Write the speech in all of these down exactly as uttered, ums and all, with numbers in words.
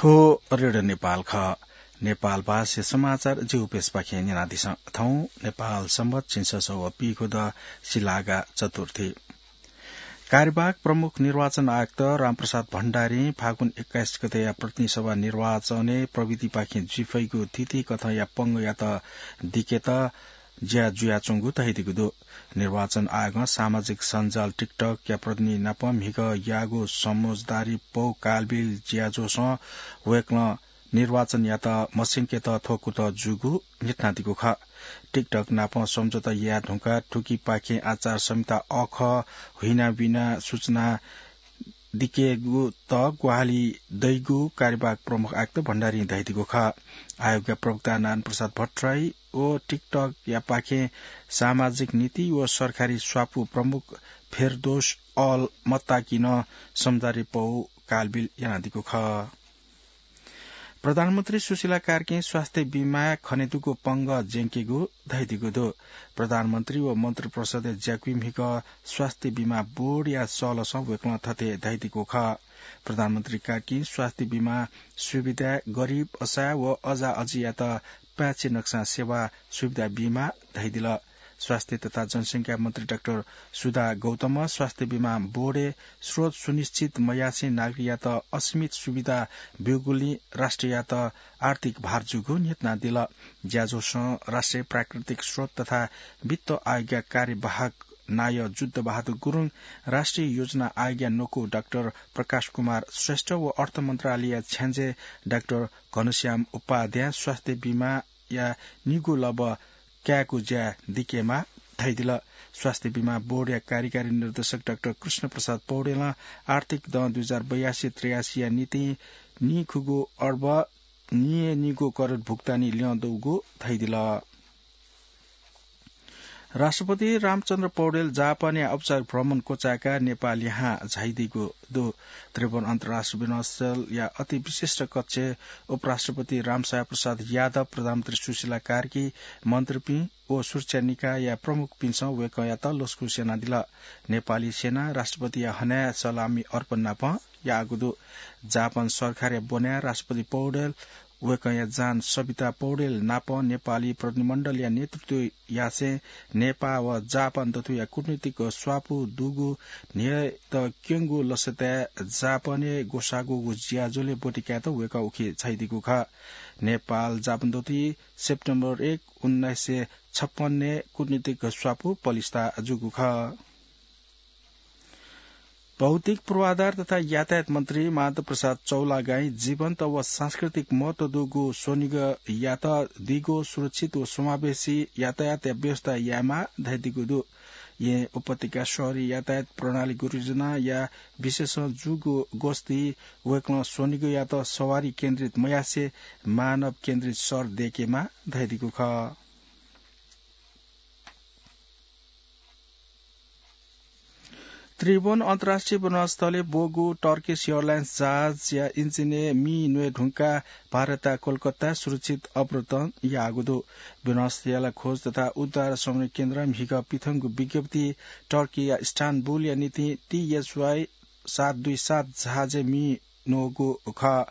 थ्व रेडियो नेपाल खः। नेपाल भाषा समाचार जिगु पेजपाखें न्यनादिसँ। थौं नेपाल संवत झिंछसः व पीखुद सिलागा चतुर्थी। कार्यवाहक प्रमुख निर्वाचन आयुक्त रामप्रसाद भण्डारीं फागुन एक्काइस गतेया प्रतिनिधि सभा निर्वाचनय् प्रविधिपाखें जुइफइगु थीथी कथंया पंगःयात दिकेत ज्या जुयाच्वंगु धयादीगु दु। निर्वाचन आयोगं सामाजिक सञ्जाल TikTok या प्रतिनिधि नाप म्हिगः याःगु समझदारी पौ कालबिल ज्याझ्वलय् वय्कलं निर्वाचनयात मस्यंकेत थ्व कुतः जूगु न्ह्यथनादीगु खः। TikTok नाप सम्झौता याये धुंकाः थुकिपाखें आचार संहिता अखः हुइनाबिना सूचना दिकेगु त ग्वाहालि दइगु कार्यवाहक प्रमुख आयुक्त भण्डारीं धयादीगु खः। आयोगया प्रवक्ता नारायण प्रसाद भट्टराई व TikTok यापाखें सामाजिक नीति व सरकारी स्वापू प्रमुख फेरदोस अल मत्ताकीनं समझदारी पौ कालबिल यानादीगु खः। प्रधानमन्त्री सुशीला कार्कीं स्वास्थ्य बीमा खनेदुगु पंगः ज्यंकेगु धयादीगु दु। प्रधानमन्त्री व मन्त्रिपरिषदय् ज्याकुइम्हिगः स्वास्थ्य बीमा बोर्डया सलसं वय्कलं थथे धयादीगु खः। प्रधानमन्त्री कार्कीं स्वास्थ्य बीमा सुविधाय् गरिब, असहाय व अजाअजियात पाय्छि नकसां सेवा सुविधा बीमा धयादिल। स्वास्थ्य तथा जनसंख्या मन्त्री डाक्टर सुधा गौतमं स्वास्थ्य बीमा बोर्डय् स्रोत सुनिश्चित मयासें नागरिकयात असीमित सुविधा ब्यूगुलिं राष्ट्रयात आर्थिक भार जूगु न्ह्यथनादिल। ज्याझ्वलय् राष्ट्रिय प्राकृतिक स्रोत तथा वित्त आयोगया कार्यवाहक नायः जुद्ध बहादुर गुरुङ, राष्ट्रिय योजना आयोगया न्वकू डाक्टर प्रकाश कुमार श्रेष्ठ व अर्थ मन्त्रालयया छ्याञ्जे डाक्टर घनश्याम उपाध्याय स्वास्थ्य बीमाया निगू लब कायेगु ज्या दिकेमाः धयादिल। स्वास्थ्य बीमा बोर्डया कार्यकारी निर्देशक डाक्टर कृष्ण प्रसाद पौडेलं आर्थिक दँ दुई हजार बयासी त्रियासीया निंतिं निखुगू अर्ब नियेनिगू करोड भुक्तानी ल्यं दुगु धयादिल। राष्ट्रपति रामचन्द्र पौडेल जापानया औपचारिक भ्रमण क्वचाय्काः नेपालय् हां झायादीगु दु। त्रिभुवन अन्तर्राष्ट्रिय विमानस्थलया अति विशिष्ट कक्षय् उपराष्ट्रपति रामसागर प्रसाद यादव, प्रधानमन्त्री सुशीला कार्की, मन्त्रीपिं व सुरक्षा निकायया प्रमुखपिन्सं वय्कःयात लसकुस यानादिल। नेपाली सेनां राष्ट्रपतिया हनाय् सलामी अर्पण नाप याःगु दु। जापान सरकारया ब्वनाय् राष्ट्रपति पौडेल, वय्कःया जान सबिता पौडेल नाप नेपाली प्रतिनिधिमण्डलया नेतृत्व यासें नेपाः व जापान दथुया कूटनीतिक स्वापू दुगु न्ह्यःत क्यंगु लसताय् जापानय् ग्वसाःगु ज्याझ्वलय् ब्वति कायेत वय्कः उखे झायादीगु खः। नेपाल जापान दथुइ सेप्टेम्बर एक, उन्नाइस सय छप्पन्नय् कूटनीतिक स्वापू पलिस्था जूगु खः। भौतिक पूर्वाधार तथा यातायात मन्त्री माधव प्रसाद चौलागाईं जीवन्त व सांस्कृतिक महत्व दुगु स्वनिगःयात दिगो सुरक्षित व समावेशी यातायातया व्यवस्था यायेमाः धयादीगु दु। येँ उपत्यका शहरी यातायात प्रणाली गुरुजनाया विशेषं जूगु गोष्ठी वय्कलं स्वनिगःयात सवारी केन्द्रित मयासें मानव केन्द्रित सर दयेकेमाः धयादीगु खः। त्रिभुवन अन्तर्राष्ट्रिय विमानस्थलय् ब्वःगु Turkish Airlines जहाजया इन्जिनय् मि न्वये धुंकाः भारतया कोलकाताय् सुरक्षित अवतरण याःगु दु। विमानस्थलया खोज तथा उद्धार सम्बन्धी केन्द्रं म्हिगः पिथंगु विज्ञप्ति टर्कीया इस्तानबुलया निंतिं TSY सात दुई सात जहाजय् मि न्वःगु खः।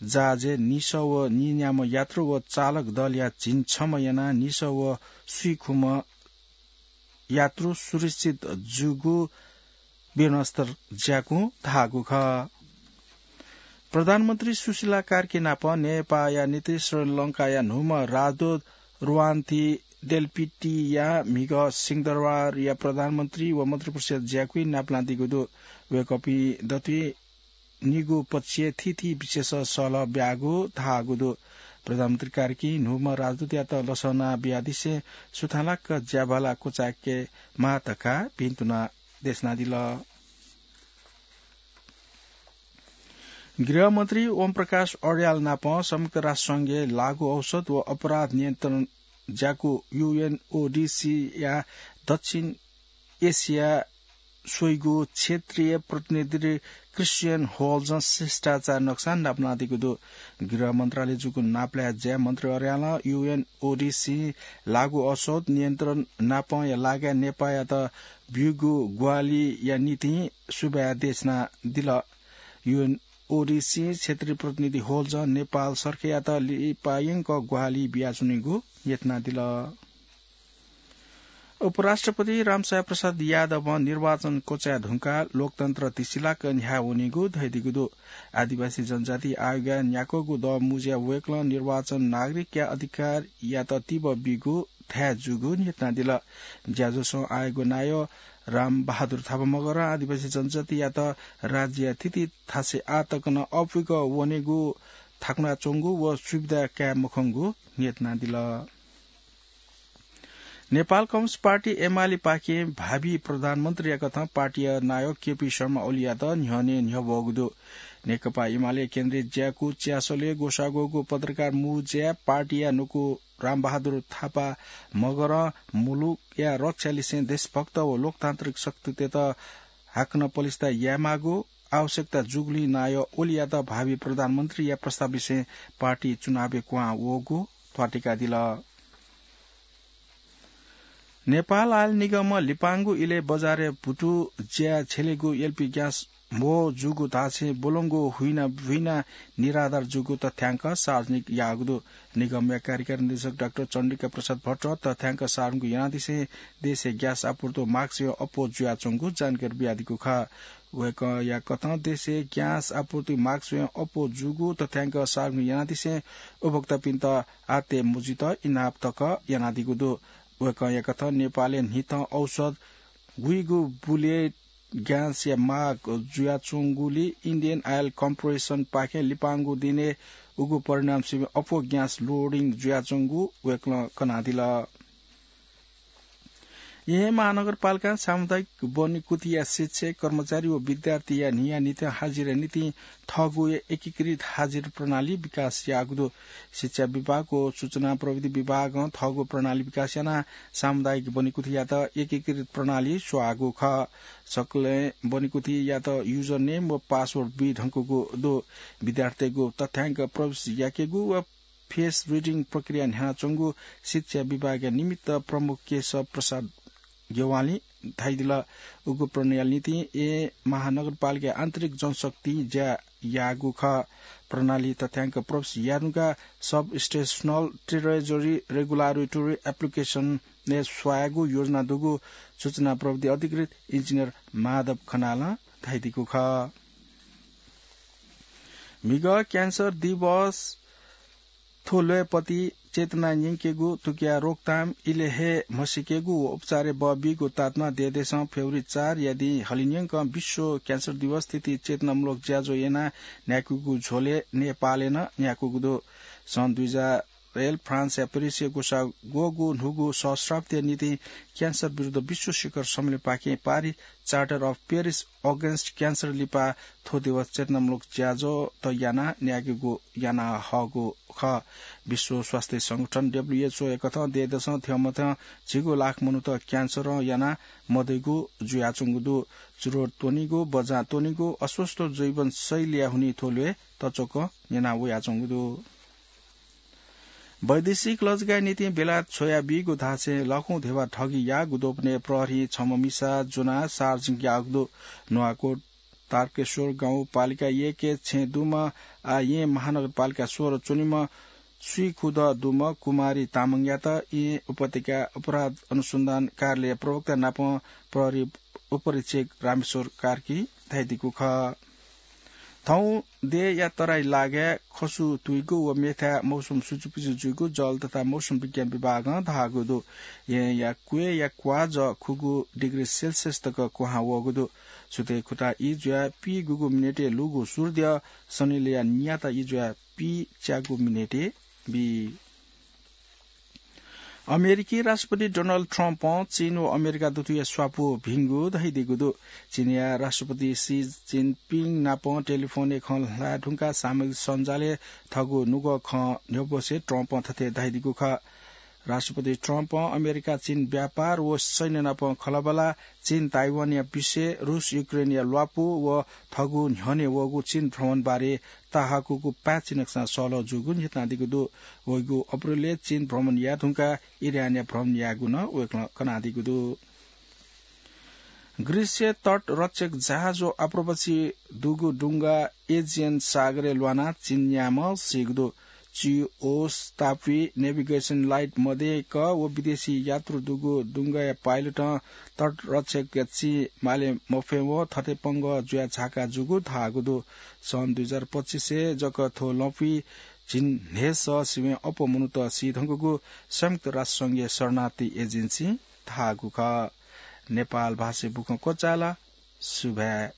जहाजय् नीसः व नीन्याम्ह यात्रु व चालक दलया झिंछम्ह यानाः नीसः व स्वीखुम्ह यात्रु सुरक्षित जूगु विमानस्थल ज्याकुं धाःगु खः। प्रधानमन्त्री सुशीला कार्की नाप नेपाःया निंतिं श्रीलंकाया न्हूम्ह राजदूत रुवान्थी डेल्पिटीया म्हिगः सिंहदरबारया प्रधानमन्त्री व मन्त्रिपरिषद ज्याकुइ नापलादीगु दु। वय्कःपिं दथुइ निगू पक्षय् थीथी विशेष सल्लाह ब्याःगु धाःगु दु। प्रधानमन्त्री कार्कीं न्हूम्ह राजदूतयात लसना बियादिसें सुथांलाक ज्याभाला क्वचाय्केमाः धकाः भिंतुना देछानादिल। गृहमन्त्री ओम प्रकाश अर्याल नाप संयुक्त राष्ट्र संघय् लागू औषध व अपराध नियन्त्रण ज्याकू UNODC या दक्षिण एसिया स्वइगु क्षेत्रीय प्रतिनिधि क्रिस्चियन होल्जं शिष्टाचार नक्सा नापलादीगु दु। गृह मन्त्रालय जूगु नापलाये ज्या मन्त्री अर्यालं UNODC लागू औषध नियन्त्रण नापया लागाय् नेपाःयात ब्यूगु ग्वाहालिया निंतिं सुभाय् देछानादिल। UN ओडिसी क्षेत्रीय प्रतिनिधि होल्जं नेपाल सरकारयात लिपायंक ग्वाहालि बियाच्वनीगु न्ह्यथनादिल। उपराष्ट्रपति रामसाय प्रसाद यादवं निर्वाचन क्वचाय् धुंकाः लोकतन्त्र तिसिलाक न्ह्याः वनीगु धयादीगु दु। आदिवासी जनजाति आयोगया न्याक्वःगु दँ मुँज्याय् वय्कलं निर्वाचन नागरिकया अधिकारयात तिबः बीगु धाये जूगु न्ह्यथनादिल। ज्याझ्वलय् आयोगया नायः रामबहादुर थापा मगरं आदिवासी जनजातियात राज्यया थीथी थासय् आः तक नं अःपुक वनेगु थाकुनाच्वंगु व सुविधा काये मखंगु न्ह्यथनादिल। नेपाल कम्युनिस्ट पार्टी एमालेपाखें भावी प्रधानमन्त्रीया कथं पार्टीया नायः केपी शर्मा ओलीयात न्ह्यःने न्ह्यब्वःगु दु। नेकपा एमाले केन्द्रीय ज्याकू च्यासलय् ग्वसाः ग्वःगु पत्रकार मुँज्याय् पार्टीया न्वकू रामबहादुर थापा मगरं मुलुकया रक्षालिसें देशभक्त व लोकतान्त्रिक शक्तितय्त हाकनं पलिस्था यायेमाःगु आवश्यकता जूगुलिं नायः ओलीयात भावी प्रधानमन्त्रीया प्रस्ताव लिसें पार्टी चुनावय् क्वहां वःगु ध्वाथुइकादिल। नेपाल आयल निगमं लिपांगु इलय् बजारय् भुतु ज्याय् छ्यलेगु एलपी ग्यास म्हो जूगु धासें ब्वलंगु हुइना हुइना निराधार जूगु तथ्यांक सार्वजनिक याःगु दु। निगमया कार्यकारी निर्देशक डाक्टर चण्डिका प्रसाद भट्ट तथ्यांक सार्वजनिक यानादिसें देशय् ग्यास आपूर्ति माग स्वयां अप्वः जुयाच्वंगु जानकारी बियादीगु खः। वय्कःया कथं देशय् ग्यास आपूर्ति माग स्वयां अप्वः जूगु तथ्यांक सार्वजनिक यानादिसें उपभोक्तापिन्त आत्ते मजुइत इनाप तक यानादीगु दु। वय्कःया कथं नेपालय् न्हिथं औसत गुइगु बुलय् ग्यासया माग जुयाच्वंगुलिं इन्डियन आयल कर्पोरेसनपाखें लिपांगु दिनय् उगु परिणाम स्वयां अप्वः ग्यास लोडिङ जुयाच्वंगु वय्कलं कनादिल। येँ महानगरपालिकां सामुदायिक बनिकुथिया शिक्षक, कर्मचारी व विद्यार्थीया न्हिया निथ्यां हाजिरा निंतिं थःगु एकीकृत हाजिरा प्रणाली विकास याःगु दु। शिक्षा विभाग व सूचना प्रविधि विभागं थःगु प्रणाली विकास यानाः सामुदायिक बनिकुथियात एकीकृत प्रणाली स्वयागु खः। सकलें बनिकुथियात username व password बी धुंकूगु दु। विद्यार्थीतय्गु तथ्यांक प्रवेश याकेगु व face reading प्रक्रिया न्ह्यानाच्वंगु शिक्षा विभागया निमित्त प्रमुख केशव प्रसाद गेवालीं धयादिल। उगु प्रणाली निंतिं येँ महानगरपालिकाया आन्तरिक जनशक्तिं ज्या याःगु खः। प्रणाली तथ्यांक प्रवेश याये धुंकाः substational treasury regulatory application-य् स्वयागु योजना दुगु सूचना प्रविधि अधिकृत इन्जिनियर माधव खनालं धयादीगु खः। म्हिगः क्यान्सर दिवस थ्व ल्वय्पति चेतना न्यंकेगु, थुकिया रोकथाम, इलय् हे म्हसीकेगु व उपचारय् बः बीगु तातुनाः देय्देशं फेब्रुअरी चारया दिं हलिंन्यंकं विश्व क्यान्सर दिवस थीथी चेतनामूलक ज्याझ्वः यानाः न्ह्याकूगु झ्वलय् नेपालय् नं न्ह्याकूगु दु। सन् दुई हजार एल फ्रान्सया पेरिसय् ग्वसाः ग्वःगु न्हूगु सहस्राब्दीया निंतिं क्यान्सर विरुद्ध विश्व शिखर सम्मेलनपाखें पारित Charter of Paris Against Cancer लिपा थ्व दिवस चेतनामूलक ज्याझ्वःत यानाः न्ह्याकेगु याना हःगु खः। विश्व स्वास्थ्य संगठन, डब्ल्यूएचओ, या कथं देय्देशं थ्यंमथ्यं झिगू लाख मनूत क्यान्सरं यानाः मदइगु जुयाच्वंगु दु। चुरोट त्वनीगु, बजां त्वनीगु, अस्वस्थ जीवनशैलीया हुनिं थ्व ल्वय् तच्वकं न्यना वयाच्वंगु दु। वैदेशिक लजगाःया निंतिं बेलायत छ्वया बीगु धासें लाखौं ध्यबा ठगी याःगु द्वपनय् प्रहरीं छम्ह मिसा ज्वनाः सार्वजनिक याःगु दु। नुवाकोट तारकेश्वर गाउँपालिका एकय् छेँ दुम्ह, आः येँ महानगरपालिका सोह्र च्वनीम्ह स्वीखुदँ दुम्ह कुमारी तामाङयात येँ उपत्यका अपराध अनुसन्धान कार्यालय प्रवक्ता नाप प्रहरी उपरीक्षक रामेश्वर कार्कीं धयादीगु खः। थौं देय्या तराई लागाय् खसु तुइगु व मेथाय् मौसम सुचुपिचु जुइगु जल तथा मौसम विज्ञान विभागं धाःगु दु। येँया क्वय्या क्वाः जःखुगू डिग्री सेल्सियस तक क्वहां वःगु दु। सुथय् खुता ई जुयाः पीगूगु मिनेटय् लूगु सूर्य सनिलया नियात ई जुयाः पीच्यागू मिनेटय् बी। अमेरिकी राष्ट्रपति डोनाल्ड ट्रम्पं चीन व अमेरिका दुथुया स्वापू भिंगु धयादीगु दु। चीनया राष्ट्रपति सी जिनपिङ नाप टेलिफोनय् खँ ल्हाये धुंकाः सामाजिक सञ्जालय् थःगु नुगः खँ न्ह्यब्वसे ट्रम्पं थथे धयादीगु खः। राष्ट्रपति ट्रम्पं अमेरिका चीन व्यापार व सैन्य नाप खँल्हाबल्हा, चीन ताइवानया विषय, रूस युक्रेनया ल्वापु व थःगु न्ह्यःने वःगु चीन भ्रमणबारे ताहाकूगु पाय्‌छि नकसां सहलह जूगु न्ह्यथनादीगु दु। वइगु अप्रिलय् चीन भ्रमण याये धुंकाः इरानया भ्रमण यायेगु नं वय्‌कलं कनादीगु दु। ग्रीसय् तट रक्षक जहाज व आप्रवासी दुगु डुंगा एजियन सागरय् ल्वानाः चीनयाम्ह सीगु दु। चिओस्तापी नेभिगेसन लाइट मदय्क व विदेशी यात्रु दुगु डुंगाया पाइलटं तट रक्षकया चिं माले मफें व थथे पंगः जुया झाका जूगु धाःगु दु। सन् दुई हजार पच्चिसय् जक थ्व लँपुइ झिंन्हय्सः सिबें अप्वः मनूत सी धुंकूगु संयुक्त राष्ट्र संघया शरणार्थी एजेन्सीं धाःगु खः। नेपाल भाषाय् बुखँ क्वचाल। सुभाय्।